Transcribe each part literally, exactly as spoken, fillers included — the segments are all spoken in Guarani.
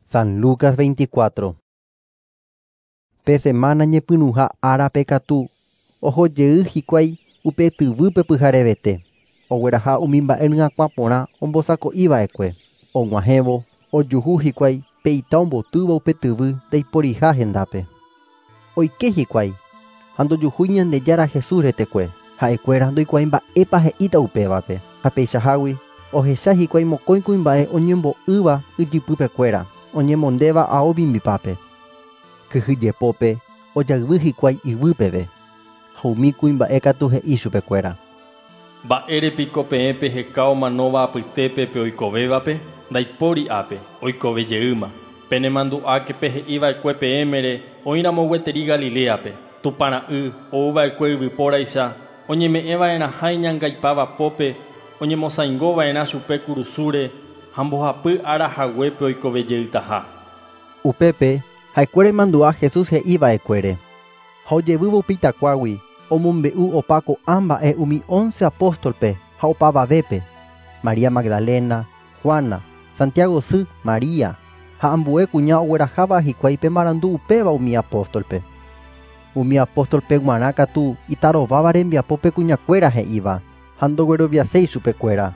San Lucas veinticuatro. Pe semana ñepyrũha árape katu ohojey hikuái upe tyvýpe pyharevete. Ogueraha umi mba'e ryakuã porã ombosako'iva'ekue. Og̃uahẽvo ojuhu hikuái pe ita ombotýva upe tyvy ndaiporiha hendápe. Oike hikuái ha ndojuhúi Ñandejára Jesús retekue. Ha'ekuéra ndoikuaái mba'épa he'íta upévape. Ha peichahágui ohecha hikuái mokõi kuimba'e oñembo'ýva ijypypekuéra, oñemondéva ao mimbipápe. Kyhyjepópe ojayvy hikuái yvýpeve. Ha umi kuimba'e katu he'i chupekuéra. Mba'érepiko peẽ peheka omanóva apytépe pe oikovévape, ndaipóri ápe, oikovejeýma. Penemandu'áke pehe'iva'ekue peẽmere oĩramo gueteri Galileape, Tupãra'y ouva'ekue yvypóraicha, oñeme'ẽva'erãha iñangaipavapópe, oñemosãingova'erã chupe kurusúre ha mbohapy ára haguépe oikovejeytaha. Upépe ha'ekuéra imandu'a Jesús he'iva'ekuére. Ha ojevývo upe itakuágui omombe'u opa ko'ã mba'e umi once apóstolpe ha opavavépe. María Magdalena, Juana, Santiago sy, María ha ambue kuña ogueraháva hikuái pe marandu upéva umi apóstolpe. Umi apóstolpe g̃uarã katu itarováva rembiapópe kuñakuéra he'íva ha ndogueroviaséi chupekuéra.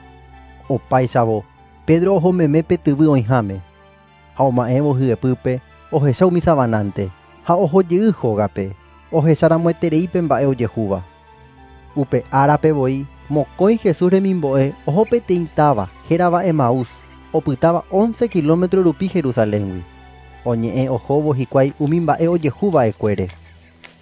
Opáichavo Pedro ohomeme pe tyvy oĩháme ha oma'ẽvo hyepýpe ohecha umi savanánte ha ohojey hógape ohecharamoeterei mba'e ojehúva. Upe árape voi mokõi Jesús remimbo'e oho peteĩ táva hérava Emaús opytáva once kilómetro rupi Jerusaléngui. Oñe'ẽ ohóvo hikuái umi mba'e ojehuva'ekuére.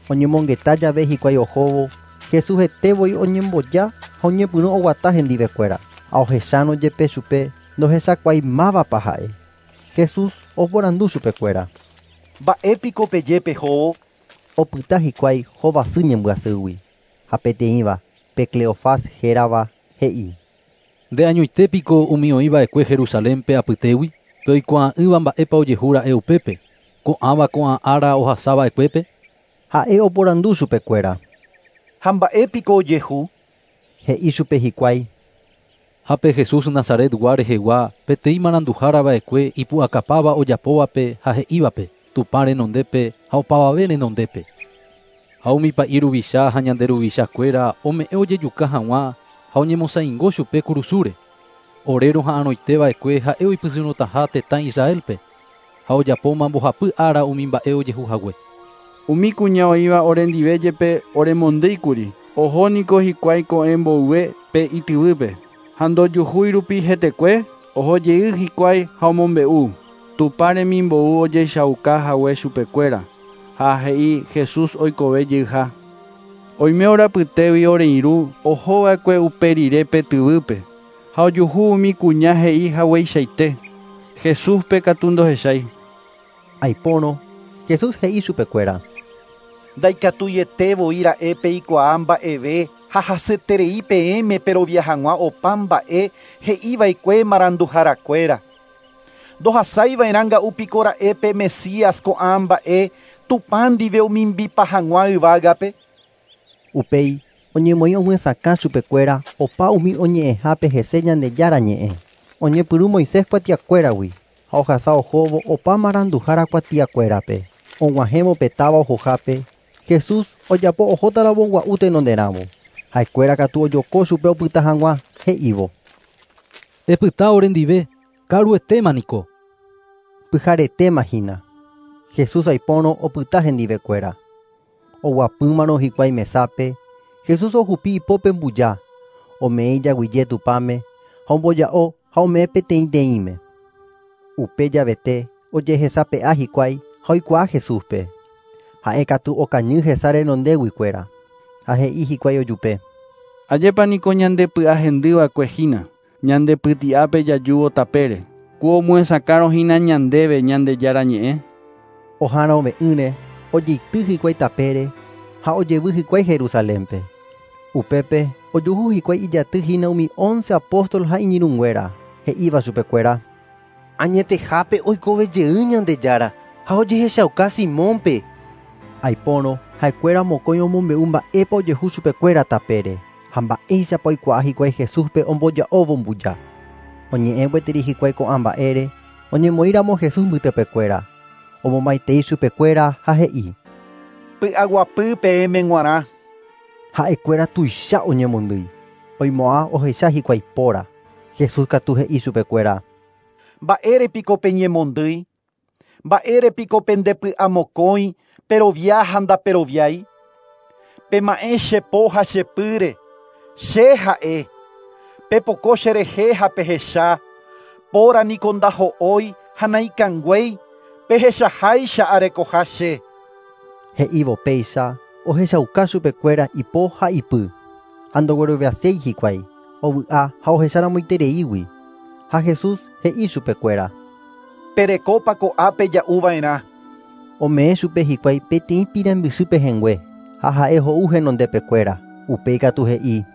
Oñemongeta jave hikuái ohóvo Jesús hete voi oñemboja ha oñepyrũ oguata hendivekuéra. Ha ohechárõ jepe chupe ndohechakuaimávapa ha'e. Jesús oporandu chupekuéra. Mba'épiko peje pehóvo? Opyta hikuái hovasy ñembyasýgui. Ha peteĩva pe Cleofás hérava he'i. Nde añoitépiko umi oĩva'ekue Jerusalénpe apytégui, pe oikuaa'ỹva mba'épa ojehúra'e upépe, ko'ãva ko'ã ára ohasava'ekuépe. Ha'e oporandu chupekuéra. Ha mba'épiko ojehu? He'i chupe hikuái. Ha pe Jesús Nazaretgua rehegua peteĩ maranduhárava'ekue ipu'akapáva ojapóvape ha he'ívape, Tupã renondépe ha opavave renondépe. Ha umi pa'i ruvicha ha ñande ruvichakuéra ome'ẽ ojejuka hag̃ua ha oñemosãingo chupe kurusúre. Ore roha'arõiteva'ekue ha'e oipysyrõtaha tetã Israelpe ha ojapóma mbohapy ára umi mba'e ojehuhague. Umi kuña oĩva orendive jepe oremondýikuri, ohóniko hikuái ko'ẽ mboyve pe ityvýpe. Ha ndojuhúi rupi hetekue, ohojey hikuái ha omombe'u. Tupã remimbou ojechauka hague chupekuéra ha he'i Jesús oikove jeyha. Oime orapytégui oreirũ ohova'ekue upe rire pe tyvýpe ha ojuhu umi kuña he'i hagueichaite. Jesúspe katu ndohechái. Aipórõ Jesús he'i chupekuéra. Ndaikatuiete voi ra'e peikuaa mba'eve ha hasyeterei peẽme perovia hag̃ua opa mba'e he'iva'ekue maranduharakuéra. Ndohasaiva'erã nga'úpiko ra'e pe Mesías ko'ã mba'e Tupã ndive omimbipa hag̃ua yvágape. Upéi oñemoĩ omyesakã chupekuéra opa umi oñe'ẽhápe hese Ñandejára ñe'ẽ. Oñepyrũ Moisés kuatiakuéragui ha ohasa ohóvo opa maranduhára kuatiakuérape. Og̃uahẽvo pe táva ohohápe Jesús ojapo ohótaramo gua'u tenonderãvo. Ha'ekuéra katu ojoko chupe opyta hag̃ua he'ívo. Epyta orendive, ka'aruetéma niko. Pyharetéma hína. Jesús aipórõ opyta hendivekuéra. Oguapýmarõ hikuái mesápe, Jesús ohupi ipópe mbuja, ome'ẽ ijaguyje Tupãme ha omboja'o ha ome'ẽ peteĩteĩme. Upe javete ojehesape'a hikuái ha oikuaa Jesúspe. Ha'e katu okañy hesa renondéguikuéra. Ha he'i hikuái ojupe. Ajépa niko ñandepy'ahendýva'ekue hína, ñandepyti'ápe jajúvo tapére. Ku omyesakãrõ hína ñandéve Ñandejára ñe'ẽ. Oha'arõve'ỹre ojeity hikuái tapére ha ojevy hikuái Jerusalénpe. Upépe ojuhu hikuái ijaty hína umi once apóstol ha iñirũnguéra he'íva chupekuéra. Añetehápe oikovejey Ñandejára ha ojehechauka Simónpe. Aipórõ ha'ekuéra mokõi omombe'u mba'épa ojehu chupekuéra tapére ha mba'éichapa oikuaa hikuái Jesúspe omboja'óvo mbuja. Oñe'ẽ gueteri hikuái ko'ã mba'ére Oñemoĩramo Jesús mbytepekuéra. Omomaitei chupekuéra ha he'i: Py'aguapy peẽme g̃uarã. Ha'ekuéra tuicha oñemondýi. Oimo'ã ohecha hikuái póra. Jesús katu he'i chupekuéra: Mba'érepiko peñemondýi? Mba'érepiko pendepy'amokõi perovia ha ndaperoviái? Pema'ẽ che po ha che pýre, che ha'e. Pepoko cherehe ha pehecha, póra niko ndaho'ói ha naikanguéi, pehechaháicha arekoha che. He'ívo péicha ohechauka chupekuéra ipo ha ipy. Ha ndogueroviaséi hikuái, ovy'a ha ohecharamoitereígui. Ha Jesús he'i chupekuéra: Perekópa ko'ápe ja'uva'erã. Ome'ẽ chupe hikuái peteĩ pirambysy pehẽngue ha ha'e ho'u henondepekuéra. Upéi katu he'i: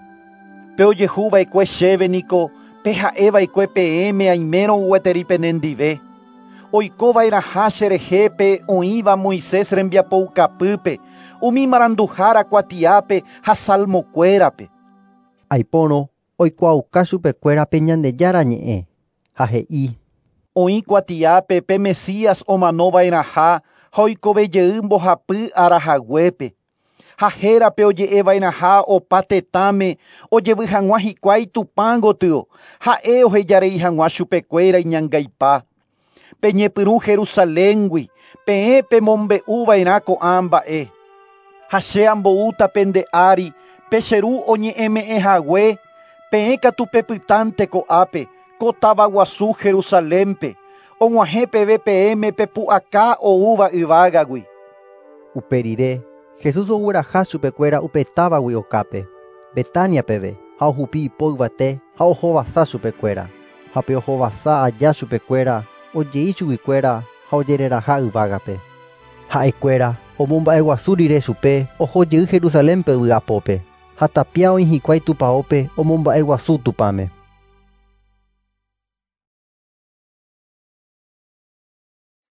Pe ojehuva'ekue chéve niko pe ha'eva'ekue peẽme aimérõ gueteri penendive. Oikova'erãha cherehe pe oĩva Moisés rembiapoukapýpe, umi maranduhára kuatiápe ha salmokuérape. Aipórõ oikuaauka chupekuéra pe Ñandejára ñe'ẽ ha he'i: Oĩ kuatiápe pe Mesías omanova'erãha ha oikovejey mbohapy arahaguépe. Ha hérape oje'eva'erãha opa tetãme ojevy hag̃ua hikuái Tupã gotyo, ha'e ohejarei hag̃ua chupekuéra iñangaipa. Peñepyrũ Jerusaléngui, peẽ pemombe'uva'erã ko'ã mba'e. Ha che amboúta pende ári, pe che ru oñe'ẽme'ẽhague, peẽ katu pepytánte ko'ápe, ko táva guasu Jerusalénpe, og̃uahẽ peve peẽme pepu'aka oúva yvágagui. Upe rire, Jesús ogueraha chupekuéra upe távagui okápe, Betania peve, ha ohupi ipo yvate ha ohovasa chupekuéra. Ha pe ohovasa aja chupekuéra, ojei chuguikuéra ha ojereraha yvágape. Ha'ekuéra omomba'eguasu rire chupe oho jey Jerusalénpe vy'apópe. Ha tapia oĩ hikuái tupãópe omomba'eguasu Tupãme.